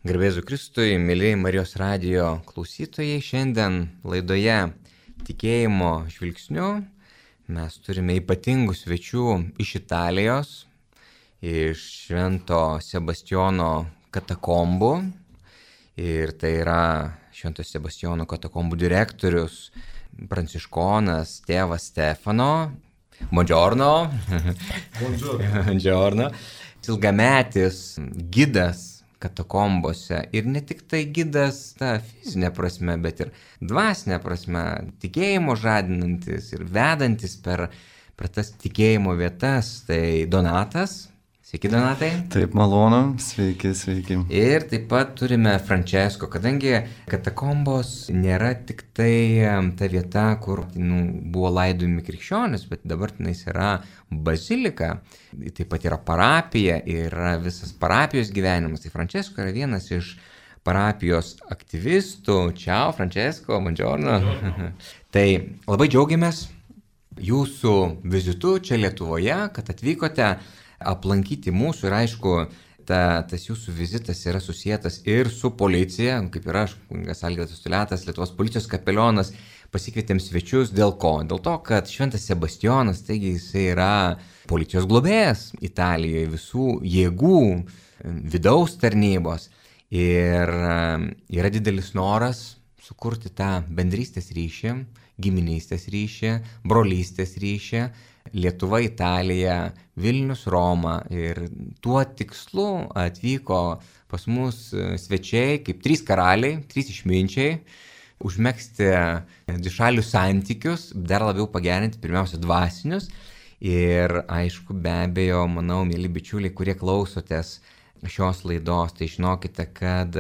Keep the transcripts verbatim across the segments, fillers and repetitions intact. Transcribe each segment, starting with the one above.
Garbėzu Kristui, mėlyjei Marijos radijo klausytojai, šiandien laidoje Tikėjimo žvilgsniu mes turime ypatingų svečių iš Italijos, iš Švento Sebastijono katakombų. Ir tai yra Švento Sebastijono katakombų direktorius, pranciškonas tėvas Stefano. Buongiorno. Buongiorno. Buongiorno. Ilgametis gidas katakombose ir ne tik tai gidas ta fizinė prasme, bet ir dvasinė prasme, tikėjimo žadinantis ir vedantis per, per tas tikėjimo vietas, tai Donatas. Sveiki, Donatai. Taip, malonu, sveiki, sveiki. Ir taip pat turime Francesco, kadangi katakombos nėra tik tai ta vieta, kur nu, buvo laidojami krikščionys, bet dabar tenais yra bazilika, taip pat yra parapija, yra visas parapijos gyvenimas. Tai Francesco yra vienas iš parapijos aktyvistų. Ciao, Francesco, buongiorno. Tai labai džiaugiamės jūsų vizitu čia Lietuvoje, kad atvykote aplankyti mūsų ir aišku, ta, tas jūsų vizitas yra susijęs ir su policija, kaip ir aš, kunigas Algirdas Tuletas, Lietuvos policijos kapelionas, pasikvietėm svečius dėl ko? Dėl to, kad Šventas Sebastijonas, taigi jisai yra policijos globėjas Italijoje, visų jėgų, vidaus tarnybos ir yra didelis noras sukurti tą bendrystės ryšį, giminystės ryšį, brolystės ryšį, Lietuva, Italija, Vilnius, Roma ir tuo tikslu atvyko pas mus svečiai kaip trys karaliai, trys išminčiai, užmegzti dvišalius santykius, dar labiau pagerinti pirmiausia dvasinius ir aišku, be abejo, manau, mėly bičiuliai, kurie klausotės šios laidos, tai žinokite, kad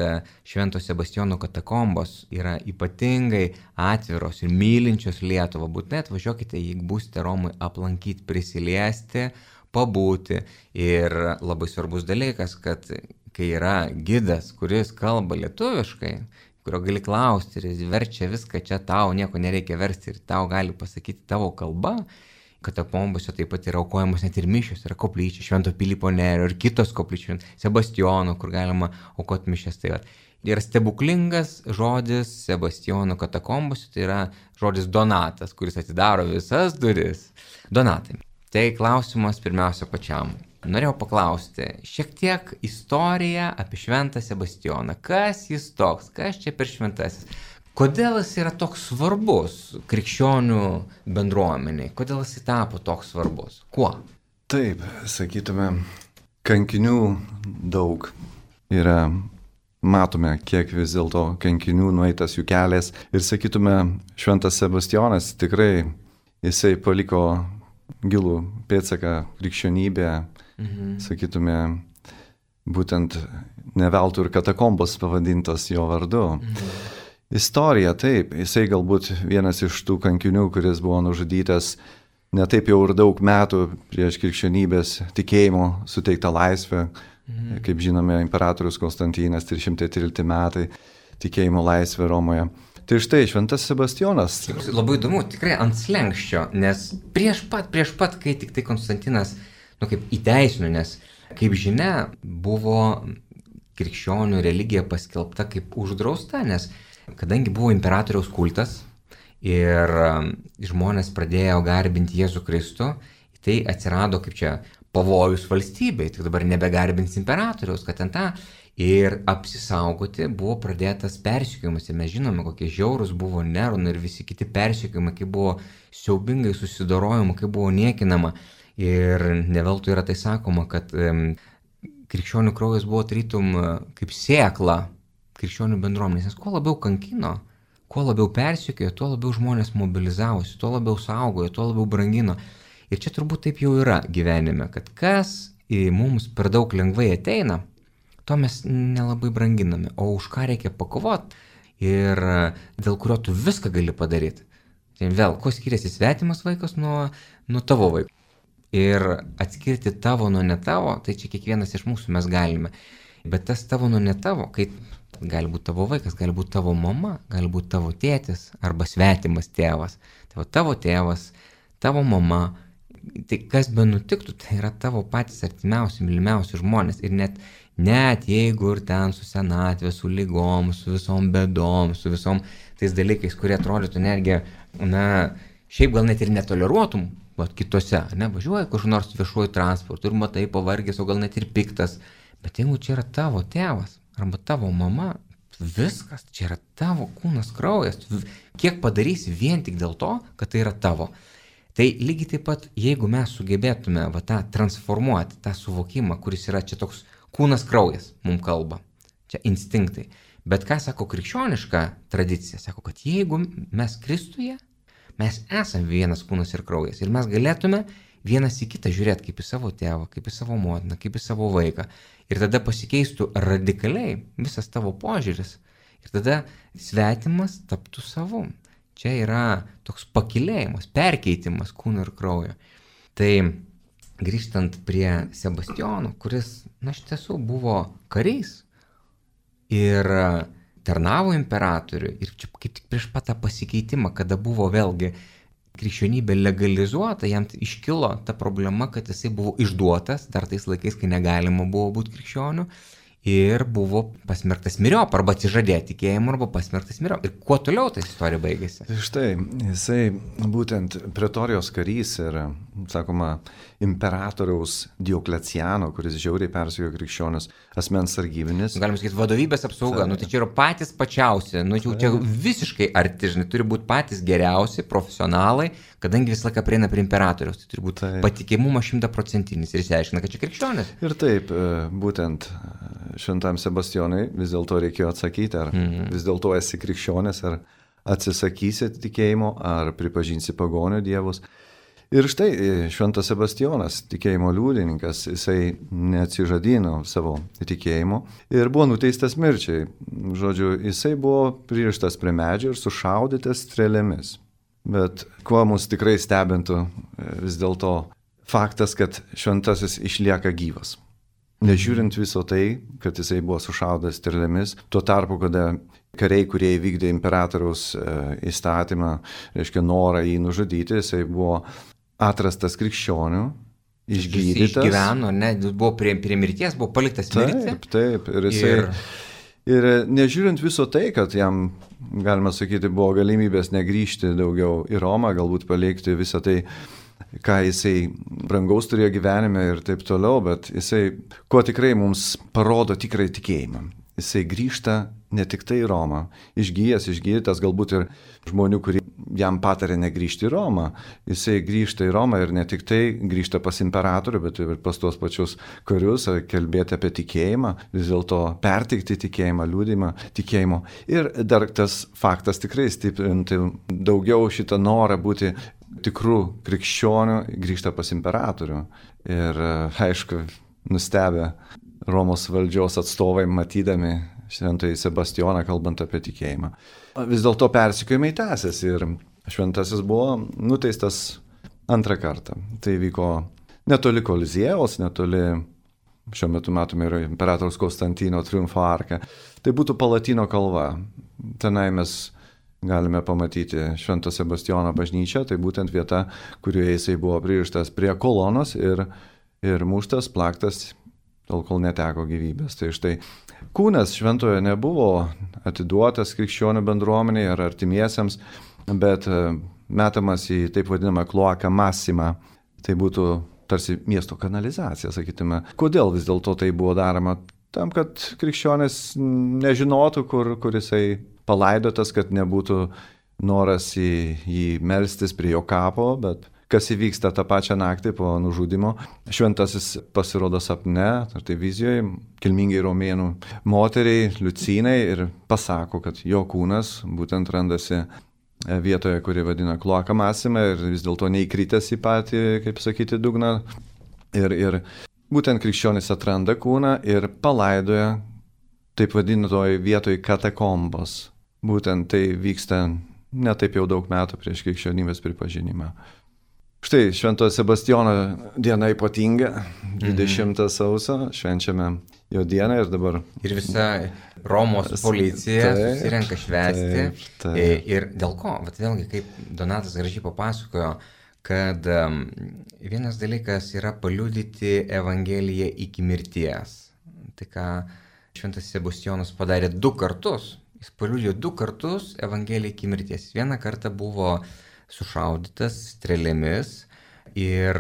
Švento Sebastijono katakombos yra ypatingai atviros ir mylinčios Lietuvą. Būtinai atvažiuokite, jeigu būsite Romui, aplankyti, prisiliesti, pabūti. Ir labai svarbus dalykas, kad kai yra gidas, kuris kalba lietuviškai, kurio gali klausti ir jis verčia viską, čia tau nieko nereikia versti ir tau gali pasakyti tavo kalba, katakombose taip pat yra aukojamos net ir mišios, yra koplyčia Švento Pilypo Nerio ir kitos koplyčios Sebastijono, kur galima aukoti mišias. Tai yra stebuklingas žodis Sebastijono katakombose, tai yra žodis Donatas, kuris atidaro visas duris. Donatai, tai klausimas pirmiausia pačiam. Norėjau paklausti šiek tiek istoriją apie Šventą Sebastijoną. Kas jis toks, kas čia per šventasis? Kodėl jis yra toks svarbus krikščionių bendruomeniai? Kodėl jis tapo toks svarbus? Kuo? Taip, sakytume, kankinių daug yra, matome, kiek vis dėlto kankinių nueitas jų kelias. Ir sakytume, Šventas Sebastijonas tikrai, jisai paliko gilų pėdsaką krikščionybę, mhm. sakytume, būtent ne veltui ir katakombos pavadintos jo vardu. Mhm. Istorija, taip, jisai galbūt vienas iš tų kankinių, kuris buvo nužudytas ne taip jau ir daug metų prieš krikščionybės tikėjimo suteiktą laisvę, mhm. kaip žinome, imperatorius Konstantinas, trys šimtai trylikti metai, tikėjimo laisvė Romoje. Tai štai Šventas Sebastijonas. Labai įdomu, tikrai ant slenkščio, nes prieš pat, prieš pat, kai tik tai Konstantinas, nu kaip įteisino, nes kaip žinia, buvo krikščionių religija paskelbta kaip uždrausta, nes kadangi buvo imperatoriaus kultas ir žmonės pradėjo garbinti Jėzų Kristų, tai atsirado kaip čia pavojus valstybei, tik dabar nebegarbins imperatoriaus, kad ten tą ir apsisaugoti buvo pradėtas persekiojimas. Ir mes žinome, kokie žiaurūs buvo Neronai ir visi kiti persekiojimai, kaip buvo siaubingai susidorojama, kaip buvo niekinama. Ir ne veltui yra tai sakoma, kad um, krikščionių kraujas buvo tarytum kaip sėkla krikščionių bendruomenės, nes kuo labiau kankino, kuo labiau persekiojo, tuo labiau žmonės mobilizavosi, tuo labiau saugojo, tuo labiau brangino. Ir čia turbūt taip jau yra gyvenime, kad kas į mums per daug lengvai ateina, to mes nelabai branginame, o už ką reikia pakovoti ir dėl kurio tu viską gali padaryti. Tai vėl, kuo skiriasi svetimas vaikas nuo, nuo tavo vaiko. Ir atskirti tavo nuo ne tavo, tai čia kiekvienas iš mūsų mes galime. Bet tas tavo nuo ne tavo, kai gali būti tavo vaikas, gali būti tavo mama, gali būti tavo tėtis arba svetimas tėvas. Tai tavo tėvas, tavo mama, tai kas be nutiktų, tai yra tavo patys artimiausi, mylimiausi žmonės. Ir net net jeigu ir ten su senatvė, su lygom, su visom bėdom, su visom tais dalykais, kurie atrodytų netgi, na, šiaip gal net ir netoleruotum, vat kitose, ne, važiuoji kur nors viešuoju transportu ir matai pavargęs, o gal net ir piktas, bet jeigu čia yra tavo tėvas arba tavo mama, viskas, čia yra tavo kūnas, kraujas, kiek padarysi vien tik dėl to, kad tai yra tavo. Tai lygiai taip pat, jeigu mes sugebėtume va, tą transformuoti, tą suvokimą, kuris yra čia toks kūnas, kraujas, mums kalba, čia instinktai. Bet ką sako krikščioniška tradicija, sako, kad jeigu mes Kristuje, mes esame vienas kūnas ir kraujas ir mes galėtume vienas į kitą žiūrėti kaip į savo tėvą, kaip į savo motiną, kaip į savo vaiką. Ir tada pasikeistų radikaliai visas tavo požiūris. Ir tada svetimas taptų savu. Čia yra toks pakilėjimas, perkeitimas kūno ir kraujo. Tai grįžtant prie Sebastijono, kuris, na, iš tiesų buvo karys ir tarnavo imperatoriui. Ir čia kaip tik prieš pat tą pasikeitimą, kada buvo vėlgi krikščionybė legalizuota, jam iškilo ta problema, kad jisai buvo išduotas, dar tais laikais, kai negalima buvo būti krikščioniu, ir buvo pasmerktas myriop, arba atsižadėti tikėjimu, arba pasmerktas myriop. Ir kuo toliau ta istorija baigėsi? Štai, jisai būtent pretorijos karys ir, sakoma, imperatoriaus Diokleciano, kuris žiauriai persekiojo krikščionis, asmens sargybinis. Galim sakyti, vadovybės apsauga, nu tai čia yra patys pačiausi, nu jau čia visiškai arti, žinai, turi būti patys geriausi, profesionalai, kadangi visą laiką prieina prie imperatoriaus, tai turi būti taip. Patikimumas šimtaprocentinis ir išsiaiškina, kad čia krikščionis. Ir taip, būtent šventam Sebastijonui vis dėlto reikėjo atsakyti, ar mm-hmm. vis dėlto esi krikščionis, ar atsisakysi tikėjimo, ar pripažinsi pagonių dievus. Ir štai šventas Sebastijonas, tikėjimo liudininkas, jisai neatsižadino savo tikėjimo ir buvo nuteistas mirčiai. Žodžiu, jisai buvo pririštas prie medžio ir sušaudytas strėlėmis. Bet kuo mus tikrai stebintų vis dėlto faktas, kad šventasis išlieka gyvas. Nežiūrint viso tai, kad jisai buvo sušaudytas strėlėmis, tuo tarpu, kada kariai, kurie įvykdė imperatoriaus įstatymą, reiškia norą jį nužudyti, jisai buvo atrastas krikščionių, išgydytas. Jis išgyveno, ne, buvo prie, prie mirties, buvo paliktas mirti. Taip, taip. Ir, jisai, ir... ir nežiūrint viso tai, kad jam, galima sakyti, buvo galimybės negrįžti daugiau į Romą, galbūt palikti visą tai, ką jisai brangaus turėjo gyvenime ir taip toliau, bet jisai, kuo tikrai mums parodo tikrai tikėjimą. Jisai grįžta ne tik tai į Romą, išgyjęs, išgydytas, galbūt ir žmonių, kurie jam patarė negrįžti į Romą. Jisai grįžta į Romą ir ne tik tai grįžta pas imperatorių, bet ir pas tuos pačius karius, kalbėti apie tikėjimą, vis dėlto perteikti tikėjimą, liudymą tikėjimo. Ir dar tas faktas tikrai stiprinti daugiau šitą norą būti tikrų krikščionių, grįžta pas imperatorių. Ir aišku, nustebę Romos valdžios atstovai matydami šventąjį Sebastijoną, kalbant apie tikėjimą. Vis dėlto persekiojimai tęsėsi ir šventasis buvo nuteistas antrą kartą. Tai vyko netoli Koliziejaus, netoli, šiuo metu matome, yra imperatoriaus Konstantino triumfo arka. Tai būtų Palatino kalva. Tenai mes galime pamatyti Švento Sebastijono bažnyčią, tai būtent vieta, kurioje jisai buvo pririštas prie kolonos ir, ir muštas, plaktas, tol kol neteko gyvybės. Tai štai kūnas šventojo nebuvo atiduotas krikščionių bendruomeniai ar artimiesiems, bet metamas į taip vadinamą kloaką masimą. Tai būtų tarsi miesto kanalizacija, sakytume. Kodėl vis dėlto tai buvo daroma? Tam, kad krikščionis nežinotų, kur, kur jisai palaidotas, kad nebūtų noras į jį melstis prie jo kapo, bet kas įvyksta tą pačią naktį po nužudimo. Šventasis pasirodo sapne, ar tai vizijoje, kilmingai romėnų moteriai, Liucinai, ir pasako, kad jo kūnas būtent randasi vietoje, kuri vadina kloaką masimą, ir vis dėlto neįkritęs į patį, kaip sakyti, dugną. Ir, ir būtent krikščionis atranda kūną ir palaidoja taip vadinatoje vietoje katakombos. Būtent tai vyksta ne taip jau daug metų prieš krikščionybės pripažinimą. Štai Šventojo Sebastijono diena ypatinga, dvidešimtą sausio, švenčiame jo dieną ir dabar... Ir visa Romos policija taip, susirenka švęsti. Taip, taip. Ir dėl ko? Vat vėlgi, kaip Donatas gražiai papasakojo, kad um, vienas dalykas yra paliudyti Evangeliją iki mirties. tai ką šventas Sebastijonas padarė du kartus. Jis paliudijo du kartus Evangeliją iki mirties. Vieną kartą buvo sušaudytas strėlėmis ir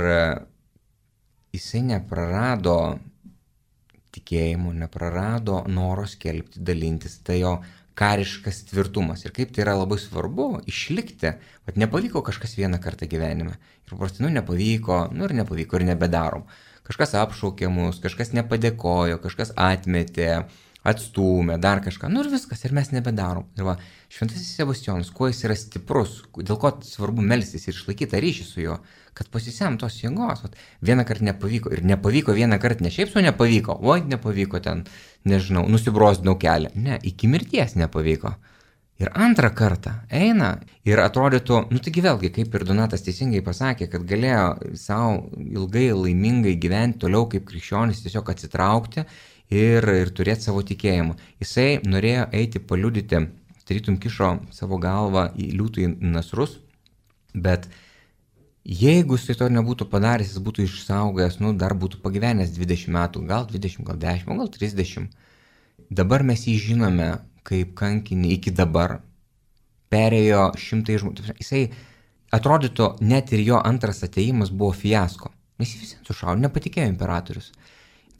jisai neprarado tikėjimo, neprarado noro skelbti, dalintis, tai jo kariškas tvirtumas. Ir kaip tai yra labai svarbu išlikti, kad nepavyko kažkas vieną kartą gyvenime. Ir paprastai, nu, nepavyko, nu ir nepavyko ir nebedarom. Kažkas apšaukė mus, kažkas nepadėkojo, kažkas atmetė, atstūmė, dar kažką, nu ir viskas, ir mes nebedarom. Ir va, šventasis Sebastijonas, kuo jis yra stiprus, dėl ko svarbu melstis ir išlaikyti ryšį su juo, kad pasisem tos jėgos. Vat, vieną kartą nepavyko, ir nepavyko vieną kartą, ne šiaip su nepavyko, oi, nepavyko ten, nežinau, nusibrozdinau kelią. Ne, iki mirties nepavyko. Ir antrą kartą eina ir atrodytų, nu taigi vėlgi, kaip ir Donatas teisingai pasakė, kad galėjo savo ilgai laimingai gyventi toliau kaip krikščionis, tiesiog atsitraukti ir, ir turėti savo tikėjimą. Jisai norėjo eiti paliudyti, tarytum kišo savo galvą į liūtų į nasrus, bet jeigu jisai to nebūtų padaręs, jis būtų išsaugęs, nu dar būtų pagyvenęs dvidešimt metų, gal dvidešimt, gal dešimt, gal trisdešimt. Dabar mes jį žinome kaip kankinį iki dabar. Perėjo šimtai žmonių. Jisai atrodytų, net ir jo antras atėjimas buvo fiasko. Nes jis visi sušaudė, nepatikėjo imperatorius.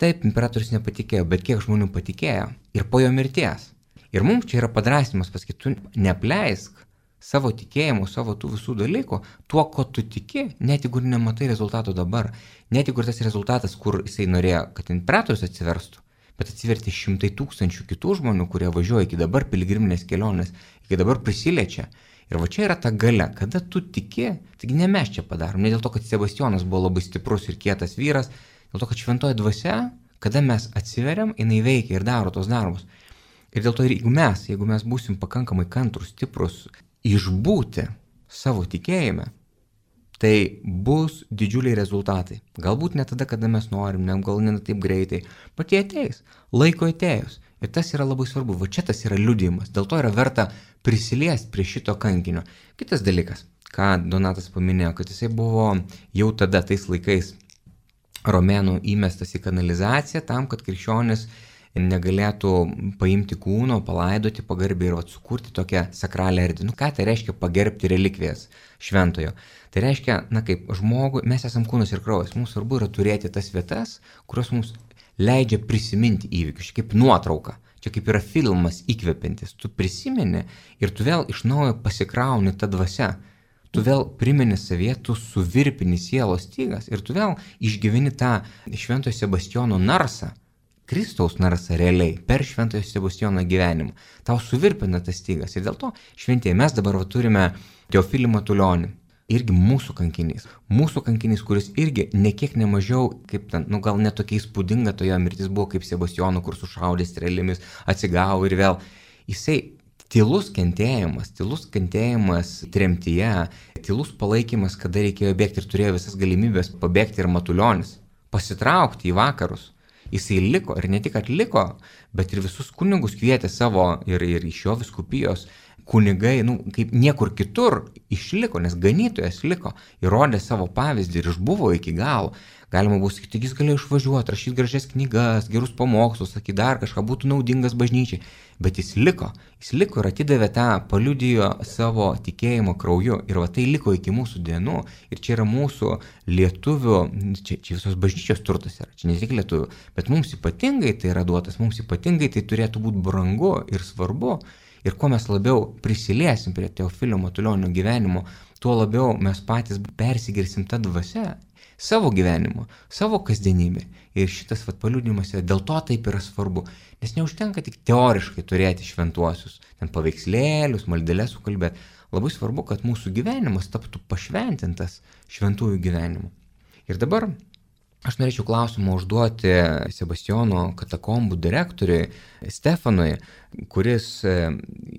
Taip, imperatorius nepatikėjo, bet kiek žmonių patikėjo ir po jo mirties. Ir mums čia yra padrasinimas pasakyti, tu neapleisk savo tikėjimų, savo tų visų dalykų, tuo, ko tu tiki, net jeigu nematai rezultato dabar, net jeigu tas rezultatas, kur jisai norėjo, kad imperatorius atsiverstų, bet atsiverti šimtai tūkstančių kitų žmonių, kurie važiuoja iki dabar piligriminės kelionės, iki dabar prisiliečia. Ir va čia yra ta galia, kada tu tiki, taigi ne mes čia padarom, ne dėl to, kad Sebastijonas buvo labai stiprus ir kietas vyras, dėl to, kad šventoji dvasia, kada mes atsiveriam, jinai veikia ir daro tos darbus. Ir dėl to, jeigu mes, jeigu mes būsim pakankamai kantrus, stiprus, išbūti savo tikėjime, tai bus didžiuliai rezultatai. Galbūt ne tada, kada mes norim, ne, gal ne taip greitai, bet jie ateis, laiko atėjus. Ir tas yra labai svarbu, va čia tas yra liudijimas, dėl to yra verta prisiliesti prie šito kankinio. Kitas dalykas, ką Donatas paminėjo, kad jisai buvo jau tada tais laikais romėnų įmestas į kanalizaciją tam, kad krikščionis negalėtų paimti kūno, palaidoti pagarbiai ir vat, sukurti tokią sakralią erdvę. Nu ką tai reiškia pagerbti relikvijas šventojo? Tai reiškia, na kaip žmogui, mes esam kūnas ir kraujas, mums svarbu yra turėti tas vietas, kurios mums leidžia prisiminti įvykius, kaip nuotrauka. Čia kaip yra filmas įkvepiantis, tu prisimeni ir tu vėl iš naujo pasikrauni tą dvasią. Tu vėl primeni savyje, tu suvirpini sielos stygas ir tu vėl išgyveni tą šventojo Sebastijono narsą, Kristaus narsą realiai per šventojo Sebastijono gyvenimą. Tau suvirpina tas stygas ir dėl to šventieji mes dabar va, turime Teofilį Matulionį, irgi mūsų kankinys. Mūsų kankinys, kuris irgi nekiek nemažiau, kaip ten, nu gal netokia įspūdinga toje mirtis buvo kaip Sebastijono, kur sušaudė strėlėmis, atsigavo ir vėl. Jisai tylus kentėjimas, tylus kentėjimas tremtyje, tylus palaikymas, kada reikėjo bėgti ir turėjo visas galimybės pabėgti ir Matulionis, pasitraukti į vakarus. Jisai liko ir ne tik atliko, bet ir visus kunigus kvietė savo ir, ir iš jo vyskupijos kunigai, nu, kaip niekur kitur išliko, nes ganytojas liko, įrodė savo pavyzdį ir išbuvo iki galo. Galima buvo sakyti, jis galėjo išvažiuoti, rašyti gražias knygas, gerus pamokslus, sakyti dar kažką, būtų naudingas bažnyčiai. Bet jis liko, jis liko ir atidavė tą, paliudijo savo tikėjimo krauju. Ir va tai liko iki mūsų dienų. Ir čia yra mūsų lietuvių, čia, čia visos bažnyčios turtas yra, čia ne tik lietuvių. Bet mums ypatingai tai yra duotas, mums ypatingai tai turėtų būti brangu ir svarbu. Ir kuo mes labiau prisiliesim prie Teofilio Matulionio gyvenimo, tuo labiau mes patys persigirsim tą dvasią savo gyvenimo, savo kasdienybę. Ir šitas vat, paliudijimas yra dėl to taip yra svarbu, nes neužtenka tik teoriškai turėti šventuosius, ten paveikslėlius, maldeles sukalbėti. Labai svarbu, kad mūsų gyvenimas taptų pašventintas šventųjų gyvenimu. Ir dabar aš norėčiau klausimą užduoti Sebastijono katakombų direktoriui Stefanui, kuris e,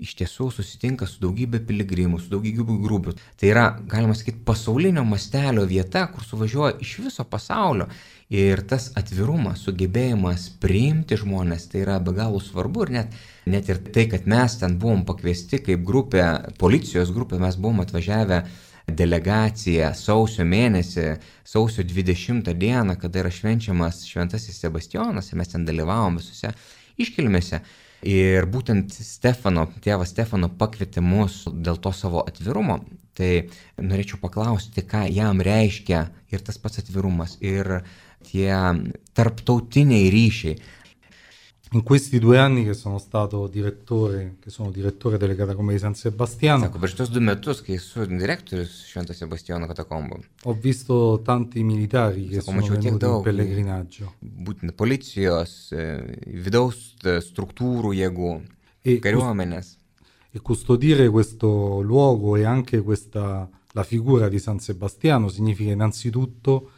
iš tiesų susitinka su daugybė piligrimų, su daugybė grupių. Tai yra, galima sakyti, pasaulinio mastelio vieta, kur suvažiuoja iš viso pasaulio. Ir tas atvirumas, sugebėjimas priimti žmonės, tai yra be galo svarbu. Ir net, net ir tai, kad mes ten buvom pakviesti kaip grupė, policijos grupė, mes buvom atvažiavę delegacija sausio mėnesį, sausio dvidešimtą dieną, kada yra švenčiamas Šventasis Sebastijonas, ir mes ten dalyvavom visose iškilmėse. Ir būtent Stefano, tėvas Stefano pakvietė mus dėl to savo atvirumo. Tai norėčiau paklausti, ką jam reiškia ir tas pats atvirumas, ir tie tarptautiniai ryšiai. In questi due anni che sono stato direttore, che sono direttore delle catacombe di San Sebastiano, Sako, per šitos du metus, kai esu direktorius Švento Sebastijono katakombų, ho visto tanti militari che Sako, sono mačiau tiek venuti in daug pellegrinaggio. būtent policijos, e, vidaus e, struktūrų jėgų, E, kariuomenės. e custodire questo luogo e anche questa, la figura di San Sebastiano significa innanzitutto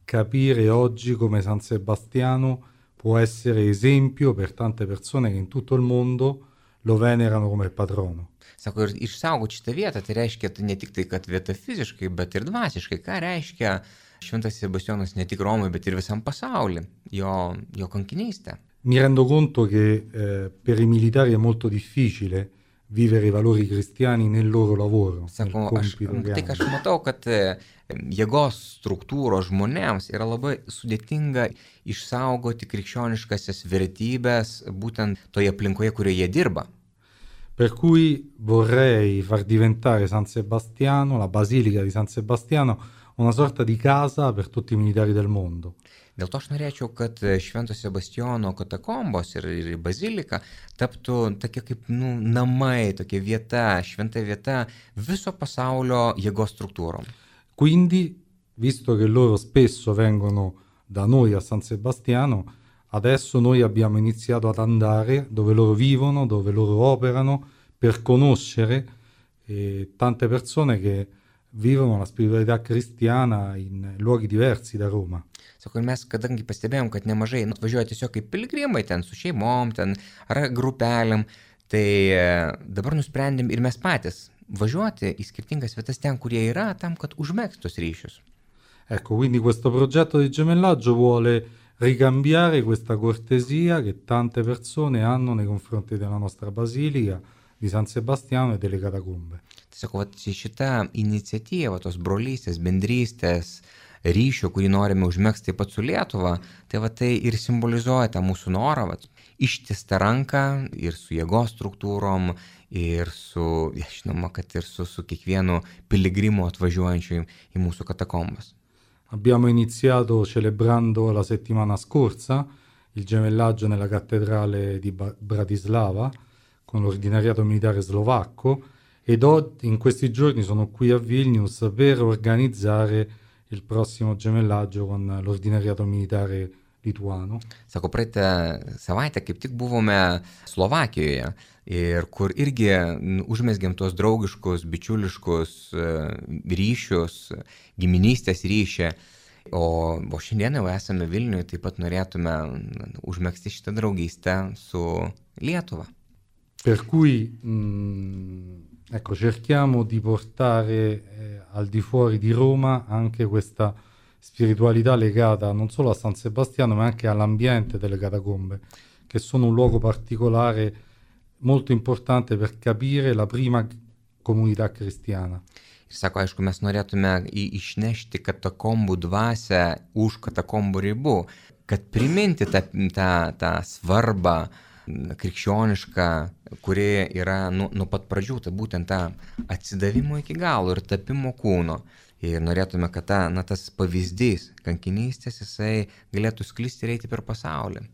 capire oggi come San Sebastiano può essere esempio per tante persone che in tutto il mondo lo venerano come patrono. Sako, ir išsaugoti šitą vietą, tai reiškia tai ne tik tai, kad vieta fiziškai, bet ir dvasiškai. Ką reiškia Šventas Sebastijonas ne tik Romai, bet ir visam pasauliu, jo, jo kankinystė. Mi rendo conto che eh, per i militari è molto difficile vivere i valori cristiani nel loro lavoro, nel Sako, aš, compito che tai ką aš hanno. matau, kad e, jėgos struktūros žmonėms yra labai sudėtinga išsaugoti krikščioniškasias vertybės būtent toje aplinkoje, kurioje jie dirba. Per cui vorrei far diventare San Sebastiano, la Basilica di San Sebastiano, una sorta di casa per tutti i militari del mondo. Dėl to aš norėčiau, kad Švento Sebastijono katakombos ir, ir bazilika taptų tokia kaip nu, namai, tokia vieta, šventa vieta viso pasaulio jėgos struktūrom. Quindi, visto che loro spesso vengono da noi a San Sebastiano, adesso noi abbiamo iniziato ad andare dove loro vivono, dove loro operano, per conoscere eh, tante persone che vivono la spiritualità cristiana in luoghi diversi da Roma. Sako, ir mes, kadangi pastebėjom, kad nemažai nu, atvažiuoja tiesiog kaip piligrimai ten su šeimom, ten ar grupelėm, tai e, dabar nusprendėm ir mes patys važiuoti į skirtingas vietas ten, kurie yra, tam, kad užmėgstus ryšius. Ecco, quindi questo progetto di gemellaggio vuole ricambiare questa cortesia che tante persone hanno nei confronti della nostra basilica di San Sebastiano e delle catacombe. Tiesiog, vat, šita iniciatyva, tos brolystės, bendrystės, ryšio, kurį norime užmėgsti taip pat su Lietuva, tai va tai ir simbolizuoja tą mūsų norą, vat, ištistą ranką ir su jėgos struktūrom, ir su, ja, žinoma, kad ir su, su kiekvienu piligrimu atvažiuojančiu į, į mūsų katakombas. Abbiamo iniziato celebrando la settimana scorsa il gemellaggio nella cattedrale di Ba- Bratislava con l'ordinariato militare slovacco ed oggi, in questi giorni sono qui a Vilnius per organizzare il prossimo gemellaggio con l'ordinariato militare lituano. Sako, praeitą savaitę kaip tik buvome Slovakijoje ir kur irgi n, užmesgėm tuos draugiškus, bičiuliškus e, ryšius, giminystės ryšį. O, o šiandien jau esame Vilniuje, taip pat norėtume n, užmegzti šitą draugystę su Lietuva. Per cui mh, ecco, cerchiamo di portare eh, al di fuori di Roma anche questa spiritualità legata non solo a San Sebastiano ma anche all'ambiente delle catacombe, che sono un luogo particolare molto importante per capire la prima comunità cristiana. Ir sako, aišku, mes norėtume į, išnešti katakombų dvasę už katakombų ribų, kad priminti tą, tą, tą svarbą krikščionišką, kuri yra nuo nu pat pradžių, tai būtent tą atsidavimo iki galo ir tapimo kūno. Ir norėtume, kad ta, na, tas pavyzdys kankinystės jisai galėtų sklisti ir eiti per pasaulį.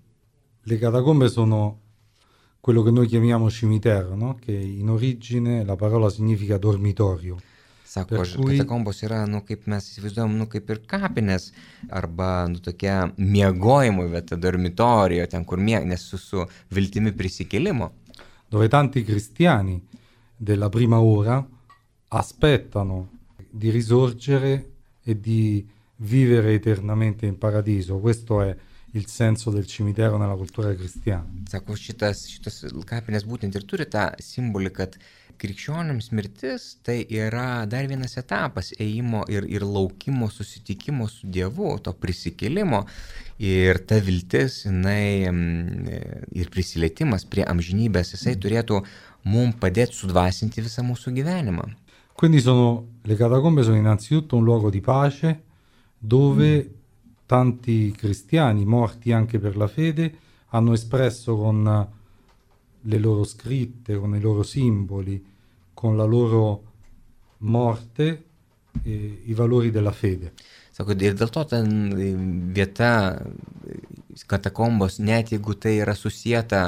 Le catacombe sono quello che noi chiamiamo cimitero, no? Che in origine la parola significa dormitorio. Sako, Per cui- katakombos yra, nu, kaip mes įsivaizduojam, nu, kaip ir kapinės, arba, nu, tokia miegojimo vieta, dormitorijo, ten, kur mieg, nes su, su viltimi prisikėlimo. Dove tanti cristiani della prima ora aspettano di risorgere e di vivere eternamente in paradiso. Questo è il senso del cimitero nella cultura cristiana. Sako, šitas, šitas kapinės būtent ir turi tą simbolį, kad krikščionims mirtis tai yra dar vienas etapas ėjimo ir, ir laukimo susitikimo su Dievu, to prisikėlimo. Ir ta viltis, jinai mm, ir prisilietimas prie amžinybės, jisai turėtų mums padėti sudvasinti visą mūsų gyvenimą. Quindi sono, le catacombe sono innanzitutto un luogo di pace dove mm. tanti cristiani morti anche per la fede hanno espresso con le loro scritte, con i loro simboli, con la loro morte eh, i valori della fede. Sako, ir dėl to ta vieta, katakombos, net jeigu tai yra susijęta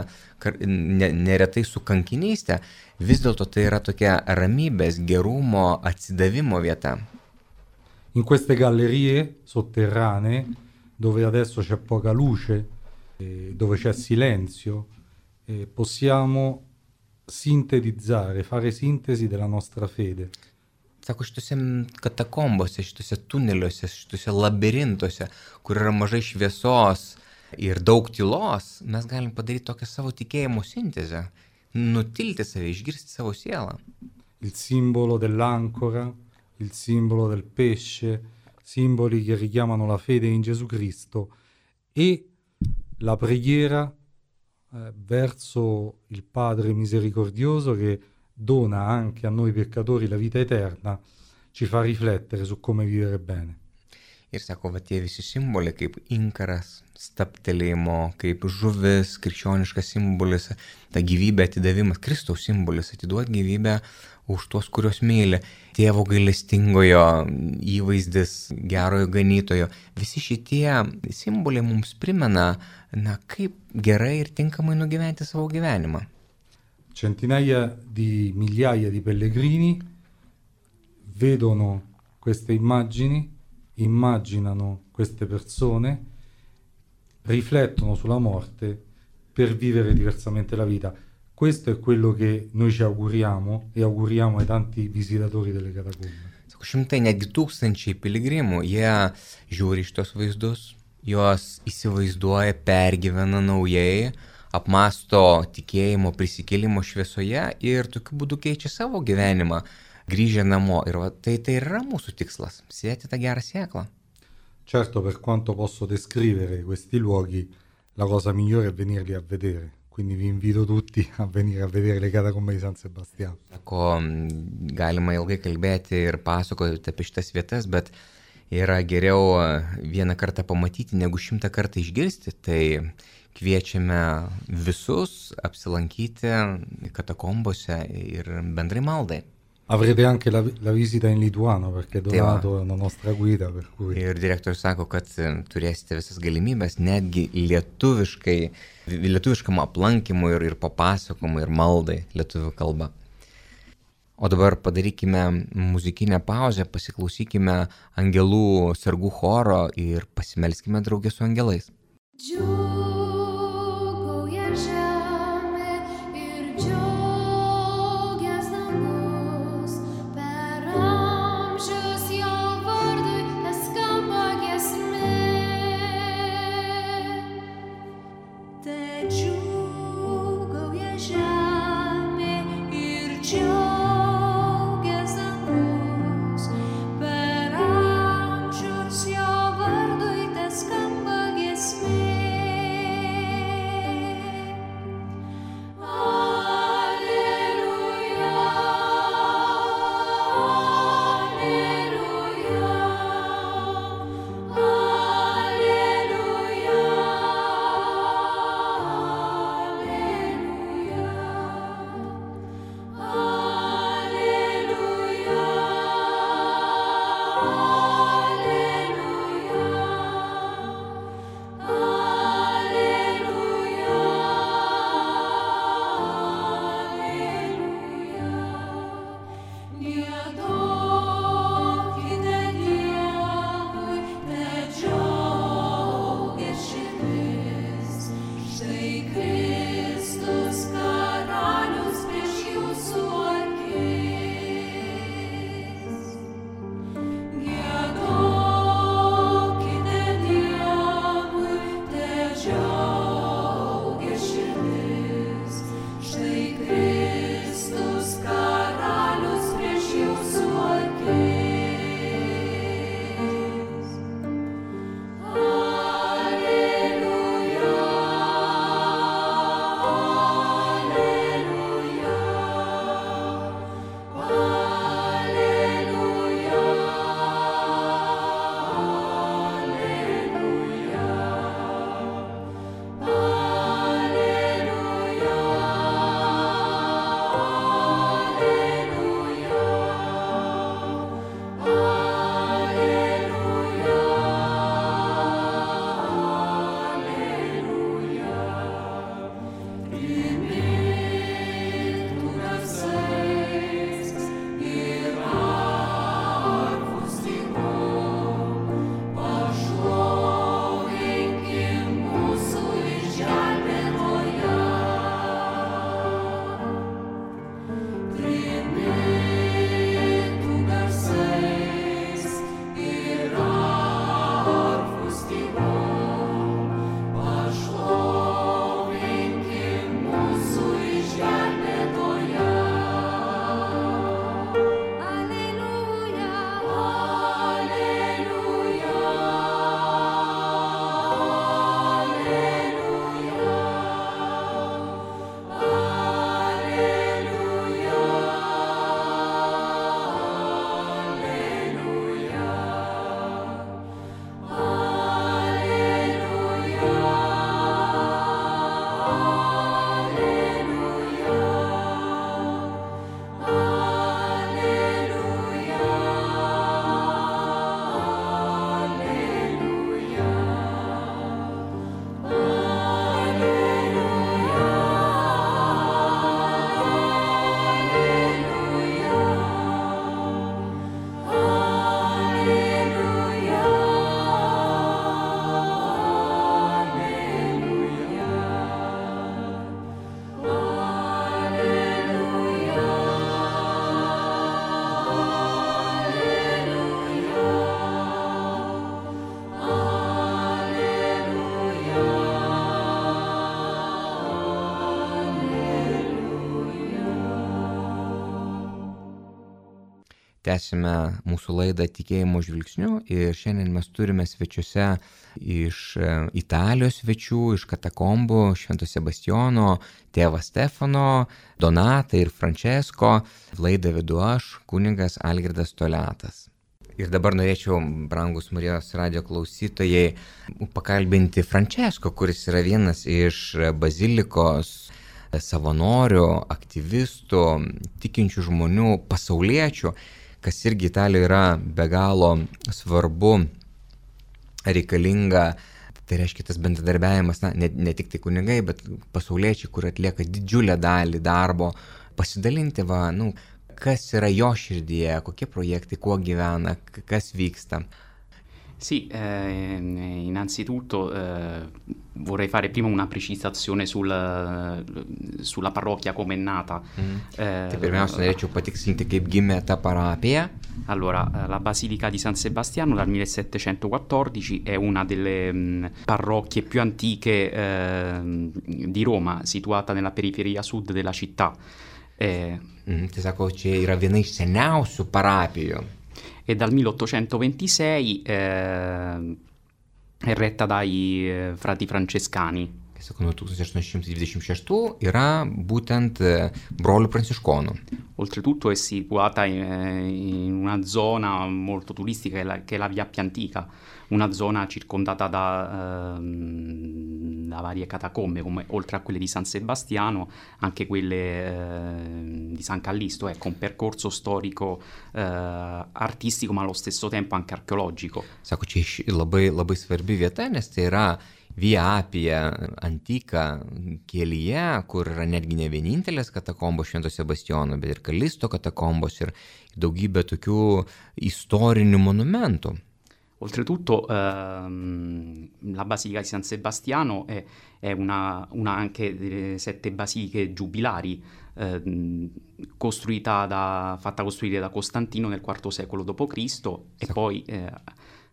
neretai su kankinystė, vis dėlto tai yra tokia ramybės, gerumo, atsidavimo vieta. In queste gallerie sotterranee, dove adesso c'è poca luce, eh, dove c'è silenzio, eh, possiamo sintetizzare, fare sintesi della nostra fede. Sako, šitose katakombose, šitose tuneliuose, šitose labirintuose, kur yra mažai šviesos ir daug tylos, mes galim padaryti tokią savo tikėjimo sintezę, nutilti save, išgirsti savo sielą. Il simbolo dell'ancora, il simbolo del pesce, simboli che richiamano la fede in Gesù Cristo e la preghiera eh, verso il Padre misericordioso che dona anche a noi peccatori la vita eterna, ci fa riflettere su come vivere bene. Ir sako, va tie visi simboliai kaip inkaras, staptelėjimo, kaip žuvis, krikščioniškas simbolis, ta gyvybė atidavimas, Kristaus simbolis, atiduoti gyvybę už tuos, kurios myli, tėvo gailestingojo įvaizdis, gerojo ganytojo. Visi šitie simboliai mums primena, na, kaip gerai ir tinkamai nugyventi savo gyvenimą. Centinaia di migliaia di pellegrini vedono queste immagini, immaginano queste persone, riflettono sulla morte per vivere diversamente la vita. Questo è quello che noi ci auguriamo e auguriamo ai tanti visitatori delle catacombe. Šimtai, netgi tūkstančiai piligrimų, jie žiūri šitos vaizdus, juos įsivaizduoja, pergyvena naujai, apmąsto tikėjimo prisikėlimo šviesoje ir tokiu būdu keičia savo gyvenimą, grįžę namo. Ir va, tai, tai yra mūsų tikslas – sėti tą gerą sėklą. Certo, per quanto posso descrivere questi luoghi, la cosa migliore è venirli a vedere. Quindi vi invito tutti a venire a vedere le catacombe di San Sebastiano. Sako, galima ilgai kalbėti ir pasakoti apie šitas vietas, bet yra geriau vieną kartą pamatyti, negu šimtą kartą išgirsti. Tai kviečiame visus apsilankyti katakombose ir bendrai maldai. Avrete anche la, la visita in lituano, perché Donato è una nostra guida. Per cui... Ir direktorius sako, kad turėsite visas galimybės, netgi lietuviškai, lietuviškam aplankymui ir, ir papasakojimui ir maldai lietuvių kalba. O dabar padarykime muzikinę pauzę, pasiklausykime angelų sargų choro ir pasimelskime draugė su angelais. Per amžius jo vardui tas skamba giesmė. Tęsime mūsų laidą Tikėjimo žvilgsniu ir šiandien mes turime svečiuose iš Italijos svečių, iš katakombų Švento Sebastijono, tėvą Stefano, Donatą ir Francesco. Laidą vedu aš, kunigas Algirdas Toliatas. Ir dabar norėčiau, brangus Marijos radijo klausytojai, pakalbinti Francesco, kuris yra vienas iš bazilikos savanorių, aktyvistų, tikinčių žmonių, pasauliečių, kas irgi Italijoje yra be galo svarbu, reikalinga. Tai reiškia tas bendradarbiavimas, na, ne, ne tik tai kunigai, bet pasauliečiai, kur atlieka didžiulę dalį darbo, pasidalinti, va, nu, kas yra jo širdyje, kokie projektai, kuo gyvena, kas vyksta. Sì, eh, innanzitutto eh, vorrei fare prima una precisazione sul, sulla parrocchia come è nata. Mm. Eh, tai pirmiausia, norėčiau patikslinti, kaip gimė ta parapija. Allora, la Basilica di San Sebastiano dal millesettecentoquattordici è una delle mh, parrocchie più antiche eh, di Roma, situata nella periferia sud della città. Eh, mm, tai sako, čia yra viena iš seniausių parapijų. E dal milleottocentoventisei eh, è retta dai eh, frati francescani. Kai sako, nuo tūkstantis aštuoni šimtai dvidešimt šeštų yra būtent brolių pranciškonų. Oltretutto è situata in, in una zona molto turistica che è la, che è la Via Appia Antica, una zona circondata da, ehm, da varie catacombe, come oltre a quelle di San Sebastiano, anche quelle eh, di San Callisto, ecco, un percorso storico eh, artistico, ma allo stesso tempo anche archeologico. Sako, čia labai, labai svarbi vieta, nes tai yra Via Appia Antica kelyje, kur yra netgi ne vienintelės katakombos Švento Sebastijono, bet ir Kalisto katakombos ir daugybė tokių istorinių monumentų. Oltretutto ehm, la Basilica di San Sebastiano è, è una, una anche delle sette basiliche giubilari ehm, costruita da, fatta costruire da Costantino nel quarto secolo dopo Cristo e poi eh,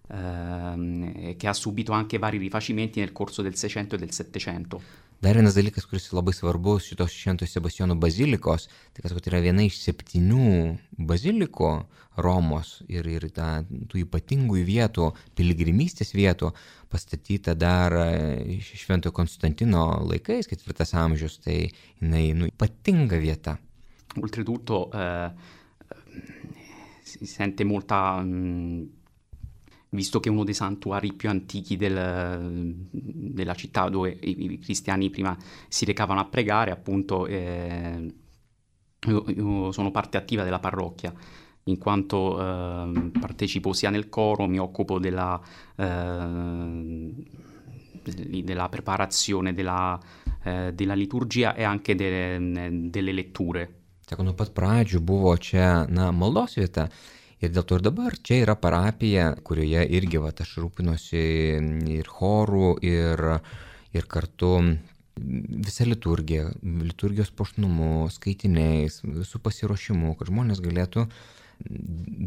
ehm, che ha subito anche vari rifacimenti nel corso del Seicento e del Settecento. Dar vienas dalykas, kuris labai svarbus šitos Švento Sebastijono bazilikos, tai kad tai yra viena iš septynių bazilikų Romos ir, ir ta, tų ypatingų vietų, piligrimystės vietų, pastatyta dar Šventojo Konstantino laikais, ketvirtas amžius, tai jinai nu, ypatinga vieta. Oltretutto eh, si sente molta... Mh, visto che è uno dei santuari più antichi del, della città dove i, i cristiani prima si recavano a pregare, appunto eh, io, io sono parte attiva della parrocchia, in quanto eh, partecipo sia nel coro, mi occupo della, eh, della preparazione della, eh, della liturgia e anche de, delle letture. Sako, nuo pat pradžių buvo čia, na, maldos vieta. Ir dėl to ir dabar čia yra parapija, kurioje irgi va, aš rūpinosi ir chorų, ir, ir kartu visa liturgija, liturgijos puošnumu, skaitiniais, visų pasiruošimu, kad žmonės galėtų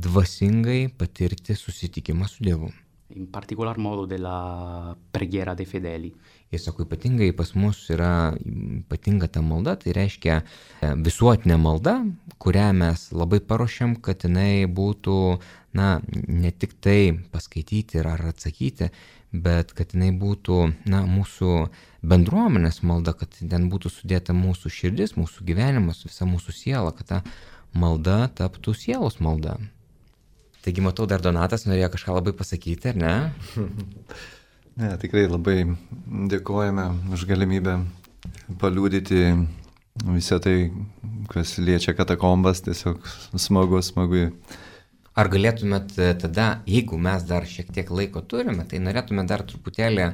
dvasingai patirti susitikimą su Dievu. In particolar modo della preghiera dei fedeli. Jis sako, ypatingai pas mus yra ypatinga ta malda, tai reiškia visuotinė malda, kurią mes labai paruošiam, kad jinai būtų, na, ne tik tai paskaityti ar atsakyti, bet kad jinai būtų, na, mūsų bendruomenės malda, kad ten būtų sudėta mūsų širdis, mūsų gyvenimas, visa mūsų siela, kad ta malda taptų sielos malda. Taigi, matau, dar Donatas norėjo kažką labai pasakyti, ar ne? Ne, tikrai labai dėkojame už galimybę paliūdyti visą tai, kas liečia katakombas, tiesiog smagu, smagu. Ar galėtumėt tada, jeigu mes dar šiek tiek laiko turime, tai norėtume dar truputėlį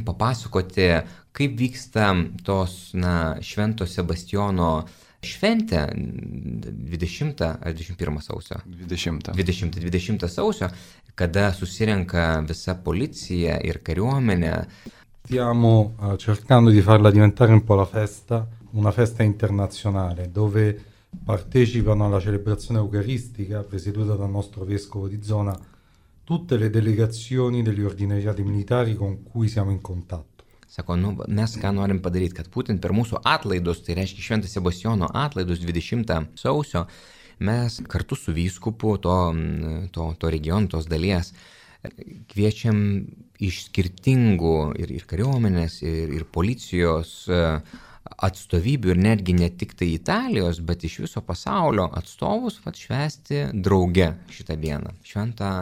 papasakoti, kaip vyksta tos, na, Švento Sebastijono šventė dvidešimtą ar dvidešimt pirmą sausio? dvidešimtą. dvidešimtą, dvidešimtą sausio, kada susirenka visa policija ir kariuomenė. Stiamo uh, cercando di farla diventare un po' la festa, una festa internazionale, dove partecipano alla celebrazione eucaristica presieduta dal nostro vescovo di zona tutte le delegazioni degli ordinariati militari con cui siamo in contatto. Sako, nu, mes ką norim padaryti, kad būtent per mūsų atlaidus, tai reiškia Švento Sebastijono atlaidus dvidešimtą sausio, mes kartu su vyskupu to, to, to regiono, tos dalies kviečiam iš skirtingų ir, ir kariuomenės, ir, ir policijos atstovybių ir netgi ne tik tai Italijos, bet iš viso pasaulio atstovus vat, švęsti drauge šitą dieną, šventą,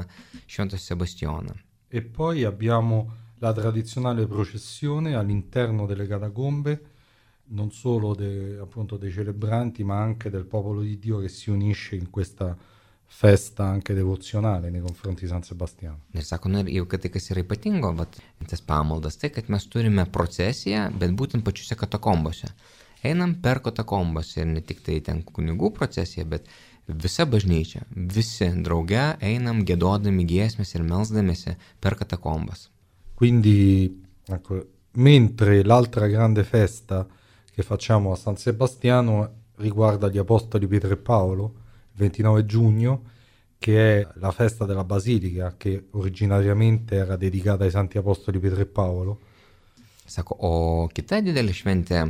šventą Sebastianą. E poi abbiamo la tradizionale processione all'interno delle catacombe, non solo de, appunto dei celebranti, ma anche del popolo di Dio che si unisce in questa festa anche devozionale nei confronti di San Sebastiano. Ir sako, nu, jau kad tai kas yra ypatingo, vat, tas pamaldas, tai kad mes turime procesiją, bet būtent pačiuose katakombose. Einam per katakombas ir ne tik tai ten kunigų procesija, bet visa bažnyčia, visi drauge einam giedodami giesmes ir melsdamėsi per katakombas. Quindi, ecco, mentre l'altra grande festa che facciamo a San Sebastiano riguarda gli Apostoli Pietro e Paolo, ventinove giugno, che è la festa della Basilica, che originariamente era dedicata ai Santi Apostoli Pietro e Paolo. Sako, o kita didelė šventė,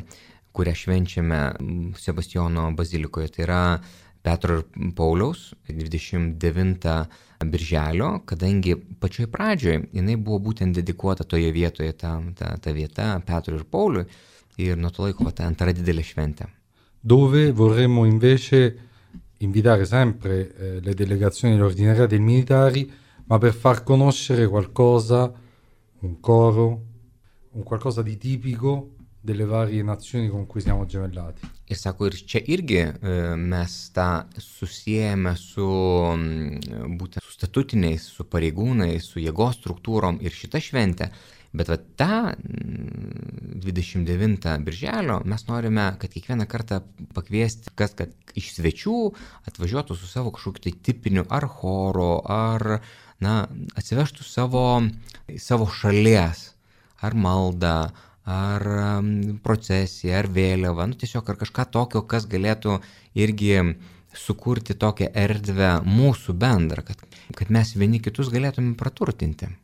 kurią švenčiame Sebastiano bazilikoje, tai yra Petro ir Pauliaus dvidešimt devintą birželio, kadangi pačioj pradžioj jinai buvo būtent dedikuota toje vietoje, ta, ta, ta vieta Petro ir Pauliui, ir nuo to laiko ta antra didelė šventė. Dove vorremmo invece invitare sempre eh, le delegazioni dell'ordinariato e i militari, ma per far conoscere qualcosa, un coro, un qualcosa di tipico delle varie nazioni con cui siamo gemellati. Ir sako, ir čia irgi mes tą susijęme su būtent su statutiniais, su pareigūnais, su jėgos struktūrom ir šitą šventę. Bet va tą dvidešimt devintą birželio mes norime, kad kiekvieną kartą pakviesti, kas, kad iš svečių atvažiuotų su savo kažkokiu tai tipiniu ar choro, ar na, atsivežtų savo, savo šalies, ar maldą, ar procesiją, ar vėliavą, nu tiesiog ar kažką tokio, kas galėtų irgi sukurti tokią erdvę mūsų bendrą, kad, kad mes vieni kitus galėtume praturtinti.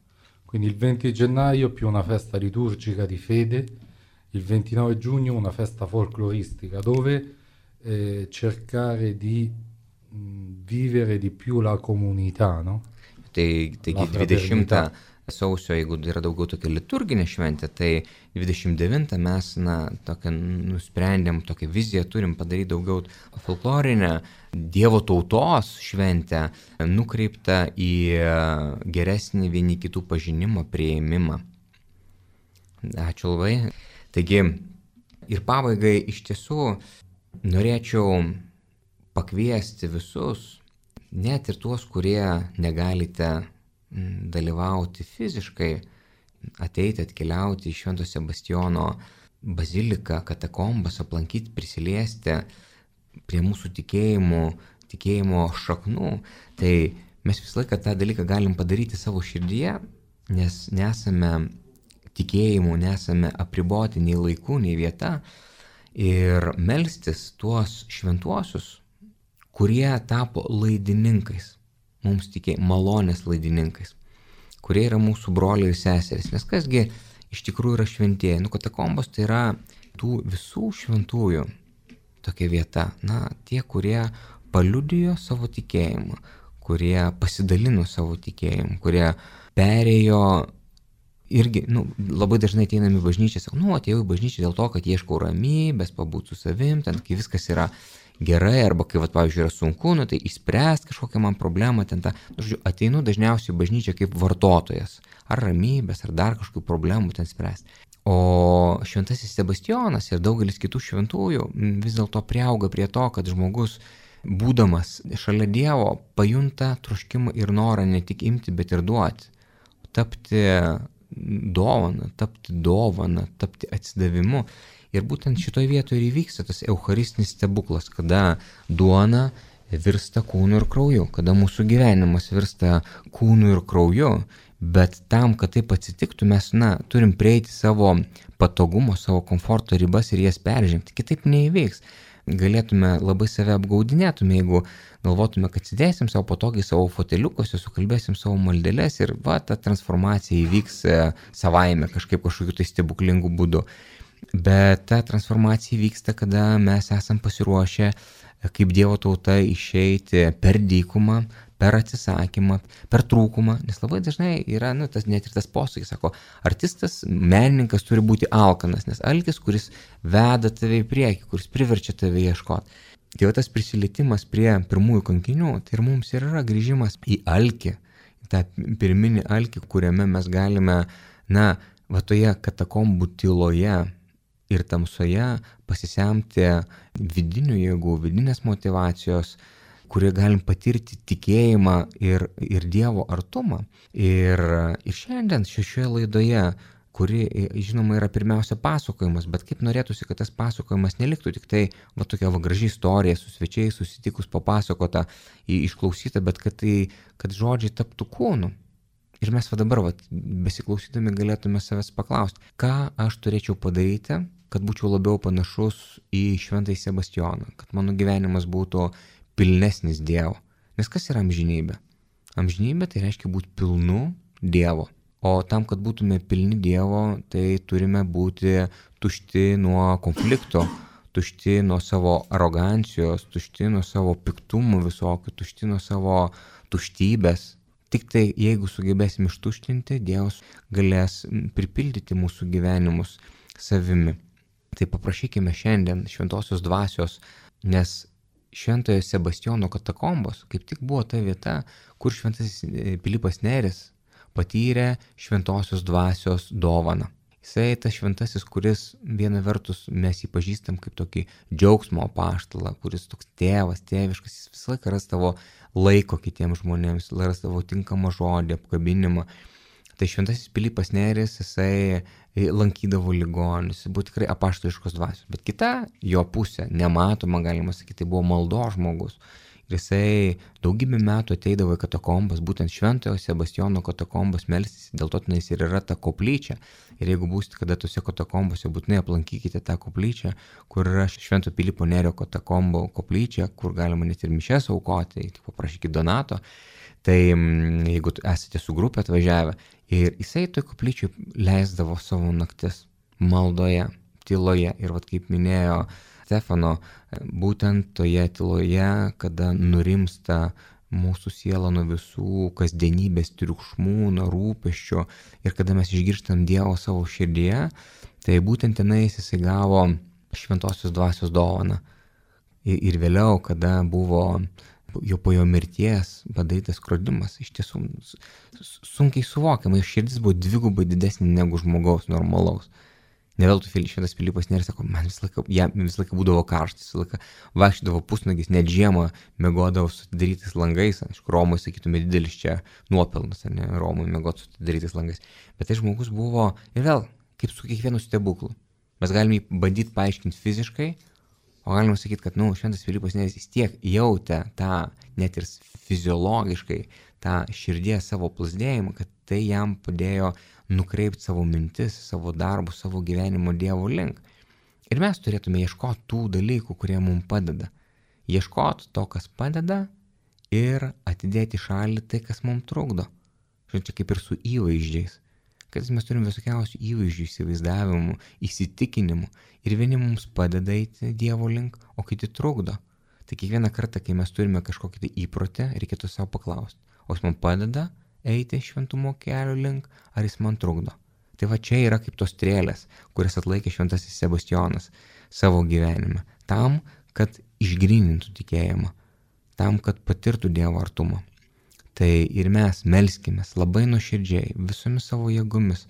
Quindi il venti gennaio più una festa liturgica di fede, il ventinove giugno una festa folcloristica dove eh, cercare di mh, vivere di più la comunità, no? Tai, taigi dvidešimtą sausio, jeigu yra daugiau tokia liturginė šventė, tai dvidešimt devintą mes na, tokią nusprendėm, tokią viziją turim padaryti daugiau folklorinę Dievo tautos šventę, nukreiptą į geresnį vieni kitų pažinimą, priėmimą. Ačiū labai. Taigi, ir pabaigai iš tiesų norėčiau pakviesti visus, net ir tuos, kurie negalite dalyvauti fiziškai, ateiti, atkeliauti į Švento Sebastiano baziliką, katakombas, aplankyti, prisiliesti prie mūsų tikėjimų, tikėjimo šaknų, tai mes visą laiką tą dalyką galim padaryti savo širdyje, nes nesame tikėjimų, nesame apriboti nei laikų, nei vieta ir melstis tuos šventuosius, kurie tapo laidininkais. Mums tikė malonės laidininkais, kurie yra mūsų broliai ir seserys. Nes kasgi iš tikrųjų yra šventieji. Nu, katakombos tai yra tų visų šventųjų tokia vieta. Na, tie, kurie paliudijo savo tikėjimą, kurie pasidalino savo tikėjimu, kurie perėjo irgi, nu, labai dažnai ateinam į bažnyčią, sako, nu, atėjau į bažnyčią dėl to, kad ieškau ramybės, pabūt su savim, ten, kai viskas yra gerai, arba kai, vat, pavyzdžiui, yra sunku, nu, tai išspręst kažkokią man problemą, ten tą, nu, žodžiu, ateinu dažniausiai į bažnyčią kaip vartotojas, ar ramybės, ar dar kažkokių problemų ten spręsti. O šventasis Sebastianas ir daugelis kitų šventųjų vis dėlto priauga prie to, kad žmogus, būdamas šalia Dievo, pajunta troškimą ir norą ne tik imti, bet ir duoti. Tapti dovana, tapti dovana, tapti atsidavimu. Ir būtent šitoje vietoje ir įvyksta tas eucharistinis stebuklas, kada duona virsta kūnu ir krauju, kada mūsų gyvenimas virsta kūnu ir krauju, bet tam, kad taip atsitiktų, mes, na, turim prieiti savo patogumo, savo komforto ribas ir jas peržengti. Kitaip neįvyks. Galėtume labai save apgaudinėtume, jeigu galvotume, kad sėdėsim savo patogiai savo foteliukose, sukalbėsim savo maldeles ir va, ta transformacija įvyks savaime kažkaip kažkokiu tai stebuklingu būdu. Bet ta transformacija vyksta, kada mes esam pasiruošę kaip Dievo tauta išeiti per dykumą, per atsisakymą, per trūkumą, nes labai dažnai yra, nu, tas net ir tas posakis, sako, artistas, menininkas turi būti alkanas, nes alkis, kuris veda tave į priekį, kuris priverčia tave ieškoti. Tai va tas prisilietimas prie pirmųjų kankinių, tai ir mums ir yra grįžimas į alkį, į tą pirminį alkį, kuriame mes galime, na, va toje katakombų tyloje ir tamsoje pasisemti vidinių jėgų, vidinės motyvacijos, kurie galim patirti tikėjimą ir, ir Dievo artumą. Ir, ir šiandien šioje laidoje, kuri, žinoma, yra pirmiausia pasakojimas, bet kaip norėtųsi, kad tas pasakojimas neliktų tik tai va tokia va graži istorija, su svečiais susitikus papasakota, išklausyta, bet kad, tai, kad žodžiai taptų kūnu. Ir mes va dabar, va, besiklausydami, galėtume savęs paklausti, ką aš turėčiau padaryti, kad būčiau labiau panašus į Šventąjį Sebastijoną, kad mano gyvenimas būtų pilnesnis Dievo. Nes kas yra amžinybė? Amžinybė tai reiškia būti pilnu Dievo. O tam, kad būtume pilni Dievo, tai turime būti tušti nuo konflikto, tušti nuo savo arogancijos, tušti nuo savo piktumų visokių, tušti nuo savo tuštybės. Tik tai jeigu sugebėsim ištuštinti, Dievas galės pripildyti mūsų gyvenimus savimi. Tai paprašykime šiandien šventosios dvasios, nes Šventojo Sebastijono katakombos kaip tik buvo ta vieta, kur šventasis Pilypas Nėris patyrė šventosios dvasios dovaną. Jisai tas šventasis, kuris viena vertus mes jį pažįstam kaip tokį džiaugsmo apaštalą, kuris toks tėvas, tėviškas, jis visą laiką rastavo laiko kitiems žmonėms, rastavo tinkamą žodį, apkabinimą. Tai šventasis Pilypas Nėris, jisai lankydavo ligonius, jis buvo tikrai apaštališkos dvasios. Bet kita jo pusė, nematoma, galima sakyti, tai buvo maldos žmogus. Ir jisai daugybę metų ateidavo į katakombas, būtent Šventojo Sebastijono katakombas melstis, dėl to tenais ir yra ta koplyčia. Ir jeigu būsite kada tose katakombose, būtinai aplankykite tą koplyčią, kur yra Švento Pilypo Nėrio katakombo koplyčia, kur galima net ir mišias aukoti, tik paprašykite donato. Tai jeigu esate su grupė atvažiavę, ir jisai toj koplyčiai leisdavo savo naktis maldoje, tyloje. Ir vat kaip minėjo Stefano, būtent toje tyloje, kada nurimsta mūsų siela nuo visų kasdienybės triukšmų, nuo rūpesčių ir kada mes išgirstam Dievo savo širdyje, tai būtent tenais jisai gavo šventosios dvasios dovaną. Ir, ir vėliau, kada buvo jo po jo mirties padarytas skrodimas, iš tiesų sunkiai suvokiama, jo širdis buvo dvigubai didesnė negu žmogaus normalaus. Ne veltui Šventas Pilypas Nėris sako, man visą laiką, ja, visą laiką būdavo karštas, visą laiką vaikščiodavo pusnagis, net žiemą miegodavo su atidarytais langais, aišku, Romoje, sakytume, didelis čia nuopelnas, ar ne, Romoje miegoti su atidarytais langais. Bet tai žmogus buvo, ir vėl, kaip su kiekvienu stebuklu. Mes galime jį bandyti paaiškinti fiziškai, o galima sakyti, kad, nu, Šventas Pilypas Nėris vis tiek jautė tą, net ir fiziologiškai, tą širdies savo plasdėjimą, kad tai jam padėjo nukreipti savo mintis, savo darbus, savo gyvenimo Dievo link. Ir mes turėtume ieškoti tų dalykų, kurie mums padeda. Ieškoti to, kas padeda ir atidėti šalį tai, kas mums trukdo. Žinai, čia kaip ir su įvaizdžiais. Kad mes turim visokiausių įvaizdžių, įsivaizdavimų, įsitikinimų. Ir vieni mums padeda eiti Dievo link, o kiti trukdo. Tai kiekvieną kartą, kai mes turime kažkokį tai įprotį, reikėtų savo paklausti, o jis man padeda eiti šventumo kelio link, ar jis man trukdo. Tai va čia yra kaip tos strėlės, kurias atlaikė Šventasis Sebastijonas savo gyvenime. Tam, kad išgrynintų tikėjimą. Tam, kad patirtų Dievo artumą. Tai ir mes melskimės labai nuoširdžiai, visomis savo jėgomis,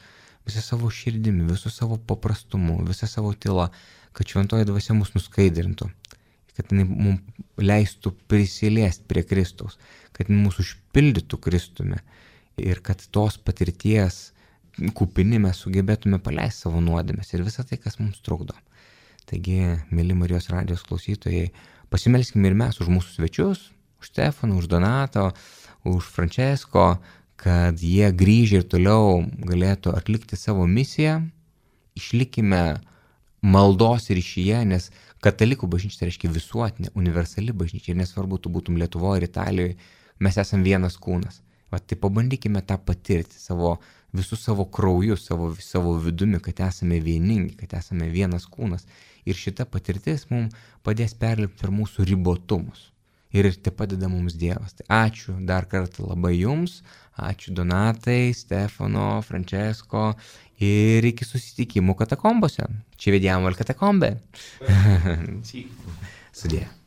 visą savo širdimi, visų savo paprastumu, visą savo tylą, kad šventoji dvasia mus nuskaidrintų, kad jinai mums leistų prisiliesti prie Kristaus, kad jinai mūsų užpildytų Kristumi ir kad tos patirties kupini mes sugebėtume paleisti savo nuodėmes ir visą tai, kas mums trukdo. Taigi, mėly Marijos radijos klausytojai, pasimelskime ir mes už mūsų svečius, už Stefaną, už Donato, už Francesco, kad jie grįžę ir toliau galėtų atlikti savo misiją. Išlikime maldos ryšyje, nes katalikų bažnyčia tai reiškia visuotinė, universali bažnyčia. Ir nesvarbu, tu būtum Lietuvoje ir Italijoje, mes esam vienas kūnas. Va, tai pabandykime tą patirti savo, visų savo krauju, savo, savo vidumi, kad esame vieningi, kad esame vienas kūnas. ir šita patirtis mums padės perlipti per mūsų ribotumus. Ir tai padeda mums Dievas. Tai ačiū dar kartą labai jums, ačiū Donatai, Stefano, Francesco ir iki susitikimų katakombose. Ci vediamo al catacombe. Sì. Sudie.